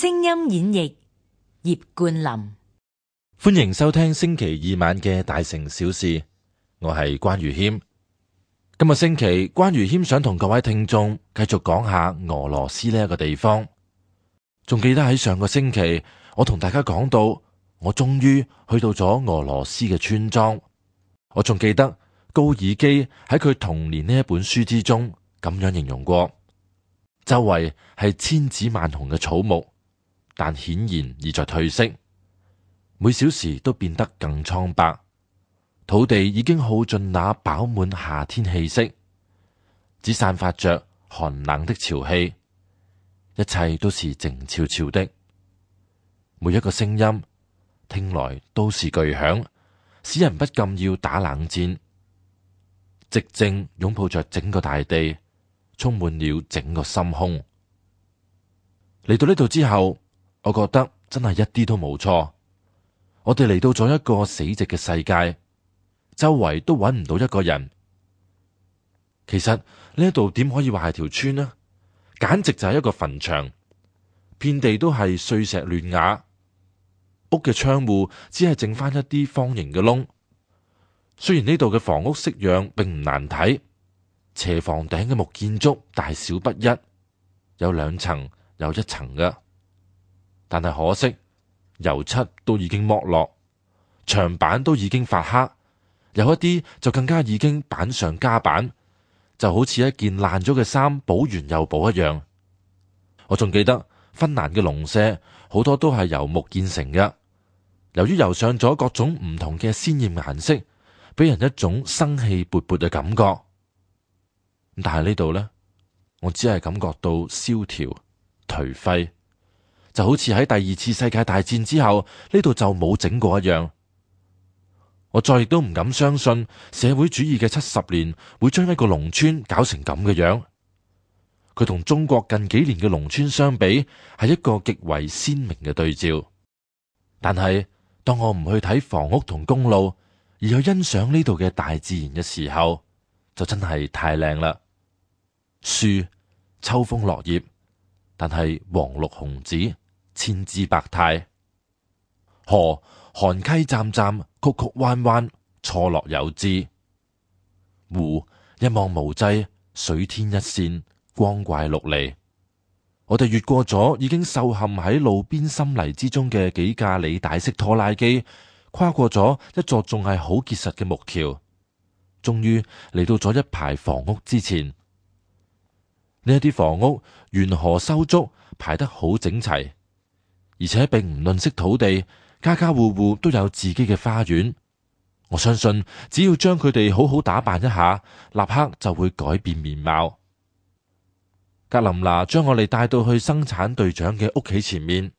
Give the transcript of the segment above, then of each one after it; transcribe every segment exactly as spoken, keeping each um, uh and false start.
聲音演繹葉冠霖。歡迎收聽星期二晚嘅大城小事，我係關愚謙。今個星期關愚謙想同各位聽眾繼續講下俄羅斯呢一個地方。仲記得喺上個星期我同大家講到，我終於去到咗俄羅斯嘅村莊。我仲記得高爾基喺佢《童年》呢一本書之中咁樣形容過，周圍係千紫萬紅嘅草木，但顯然已在褪色，每小時都變得更蒼白。土地已經耗盡那飽滿夏天氣息，只散發着寒冷的潮氣，一切都是靜悄悄的。每一個聲音聽來都是巨響，使人不禁要打冷戰。寂靜擁抱着整個大地，充滿了整個心胸。嚟到呢度之後，我覺得真係一啲都冇錯。我哋嚟到咗一個死寂嘅世界，周圍都揾唔到一個人。其實呢度點可以話係條村呢？簡直就係一個墳場，遍地都係碎石亂瓦，屋嘅窗戶只係剩翻一啲方形嘅窿。雖然呢度嘅房屋式樣並唔難睇，斜房頂嘅木建築大小不一，有兩層有一層嘅，但係可惜油漆都已經剝落，牆板都已經發黑，有一啲就更加已經板上加板，就好似一件爛咗嘅衫補完又補一樣。我仲記得芬蘭嘅農舍好多都係由木建成嘅，由於油上咗各種唔同嘅鮮艷顏色，俾人一種生氣勃勃嘅感覺。但係呢度呢，我只係感覺到蕭條頹廢，就好似喺第二次世界大戰之後呢度就冇整過一樣。我再亦都唔敢相信社會主義嘅七十年會將一個農村搞成咁嘅樣。佢同中國近幾年嘅農村相比，係一個極為鮮明嘅對照。但係當我唔去睇房屋同公路，而去欣賞呢度嘅大自然嘅時候，就真係太靚啦。樹秋風落葉，但係黃綠紅紫，千姿百態。河寒溪湛湛，曲曲彎彎，錯落有致。湖一望無際，水天一線，光怪陸離。我哋越過咗已經受陷喺路邊深泥之中嘅幾架履帶式拖拉機，跨過咗一座仲係好結實嘅木橋，終於嚟到咗一排房屋之前。呢一啲房屋沿河修築，排得好整齊，而且並唔吝嗇土地，家家戶戶都有自己嘅花園。我相信只要將佢哋好好打扮一下，立刻就會改變面貌。格林娜將我哋帶到去生產隊長嘅屋企前面，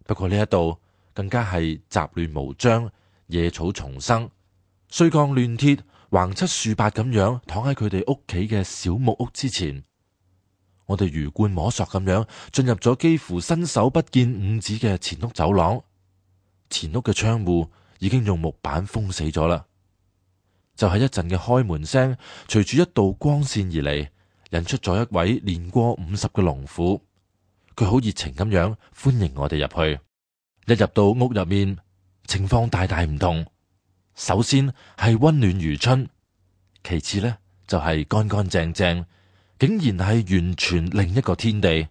不過呢一度更加係雜亂無章，野草叢生，碎鋼亂鐵橫七豎八咁樣躺喺佢哋屋企嘅小木屋之前。我哋魚貫摸索咁樣進入咗幾乎伸手不見五指嘅前屋走廊，前屋嘅窗戶已經用木板封死咗啦。就係一陣嘅開門聲，隨住一道光線而嚟，引出咗一位年過五十嘅農婦。佢好熱情咁樣歡迎我哋入去。一入到屋入面，情況大大唔同。首先係溫暖如春，其次呢就係乾乾淨淨，竟然係完全另一個天地。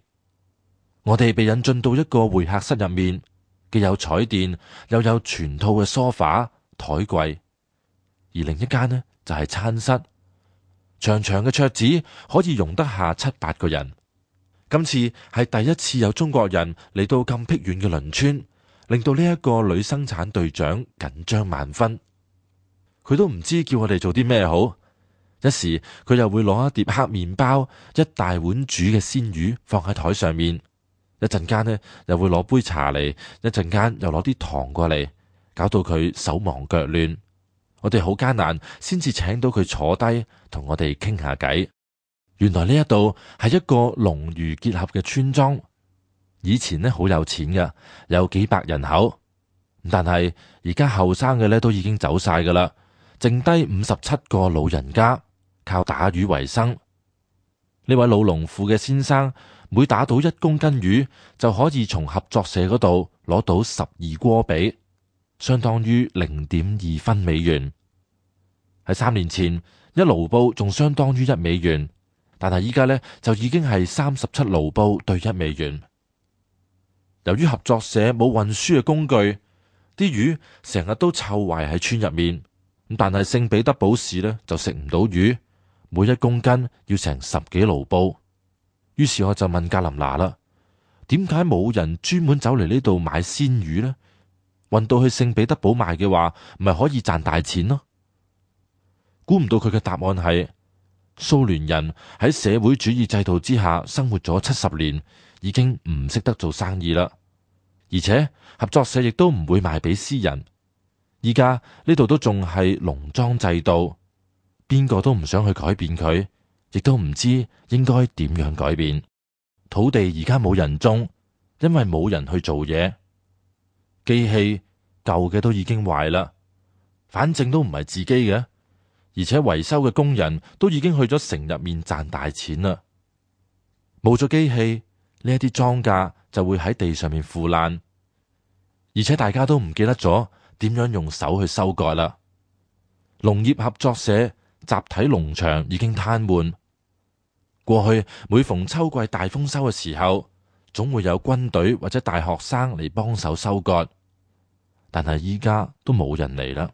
我哋被引進到一個會客室入面，既有彩電，又有全套嘅梳化台櫃，而另一間呢就係餐室，長長嘅桌子可以容得下七八個人。今次係第一次有中國人嚟到咁僻遠嘅鄰村，令到呢一個女生產隊長緊張萬分。佢都唔知叫我哋做啲咩好。一時佢又會攞一碟黑麵包，一大碗煮嘅鮮魚放喺台上面，一陣間呢又會攞杯茶嚟，一陣間又攞啲糖過嚟，搞到佢手忙腳亂。我哋好艱難先至請到佢坐低同我哋傾下偈。原來呢一度係一個農漁結合嘅村莊，以前呢好有錢嘅，有幾百人口，但係而家後生嘅呢都已經走晒噶啦，剩低五十七個老人家。靠打魚為生。呢位老農婦嘅先生每打倒一公斤魚，就可以從合作社嗰度攞到十二鍋比，相當於零點二分美元。喺三年前，一盧布仲相當於一美元，但係依家呢，就已經係三十七盧布對一美元。由於合作社冇運輸嘅工具，啲魚成日都臭壞喺村入面。但係聖彼得堡市呢，就食唔到魚，每一公斤要成十幾盧布。於是我就問格林娜啦，點解冇人專門走嚟呢度買鮮魚呢？運到去聖彼得堡賣嘅話，唔係可以賺大錢咯？估唔到佢嘅答案係，蘇聯人喺社會主義制度之下生活咗七十年，已經唔識得做生意啦。而且合作社亦都唔會賣俾私人。依家呢度都仲係農莊制度，邊個都唔想去改變佢，亦都唔知應該點樣改變。土地而家冇人種，因為冇人去做嘢。機器舊嘅都已經壞啦，反正都唔係自己嘅，而且維修嘅工人都已經去咗城入面賺大錢啦。冇咗機器，呢一啲莊稼就會喺地上面腐爛，而且大家都唔記得咗點樣用手去收割啦。農業合作社集體農場已經癱瘓。過去每逢秋季大豐收嘅時候，總會有軍隊或者大學生嚟幫手收割，但係依家都冇人嚟啦。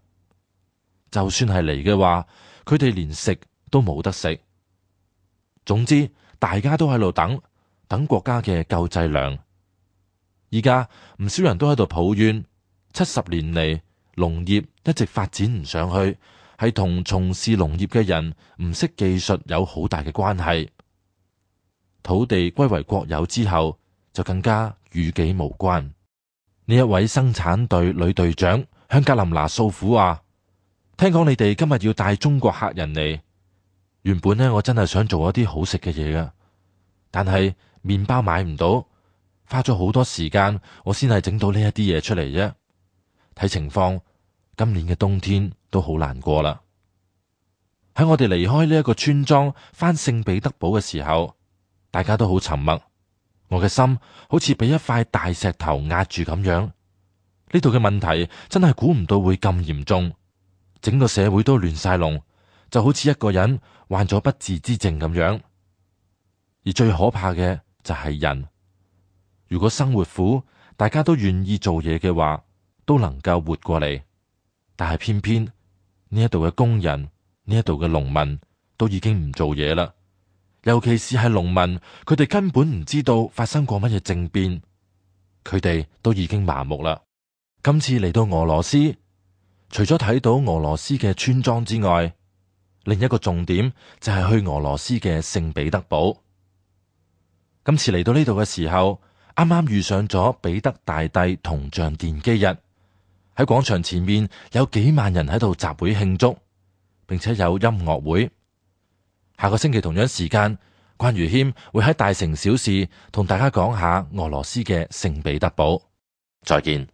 就算係嚟嘅話，佢哋連食都冇得食。總之，大家都喺度等，等國家嘅救濟糧。依家唔少人都喺度抱怨，七十年嚟農業一直發展唔上去，係同從事農業嘅人唔識技術有好大嘅關係。土地歸為國有之後，就更加與己無關。呢一位生產隊女隊長向格林娜訴苦話：聽講你哋今日要帶中國客人嚟，原本呢，我真係想做一啲好食嘅嘢噶，但係麵包買唔到，花咗好多時間，我先係整到呢一啲嘢出嚟啫。睇情況，今年嘅冬天都好難過啦。喺我哋離開呢一個村莊返聖彼得堡嘅時候，大家都好沉默，我嘅心好似俾一塊大石頭壓住咁樣。呢度嘅問題真係估唔到會咁嚴重，整個社會都亂晒龍，就好似一個人患咗不治之症咁樣。而最可怕嘅就係人，如果生活苦，大家都願意做嘢嘅話，都能夠活過嚟。但係偏偏呢一度嘅工人，呢一度嘅農民都已經唔做嘢啦。尤其是係農民，佢哋根本唔知道發生過乜嘢政變，佢哋都已經麻木啦。今次嚟到俄羅斯，除咗睇到俄羅斯嘅村莊之外，另一個重點就係去俄羅斯嘅聖彼得堡。今次嚟到呢度嘅時候，啱啱遇上咗彼得大帝銅像奠基日，喺廣場前面有幾萬人喺度集會慶祝，並且有音樂會。下個星期同樣時間，關如謙會喺大城小事同大家講下俄羅斯嘅聖彼得堡。再見。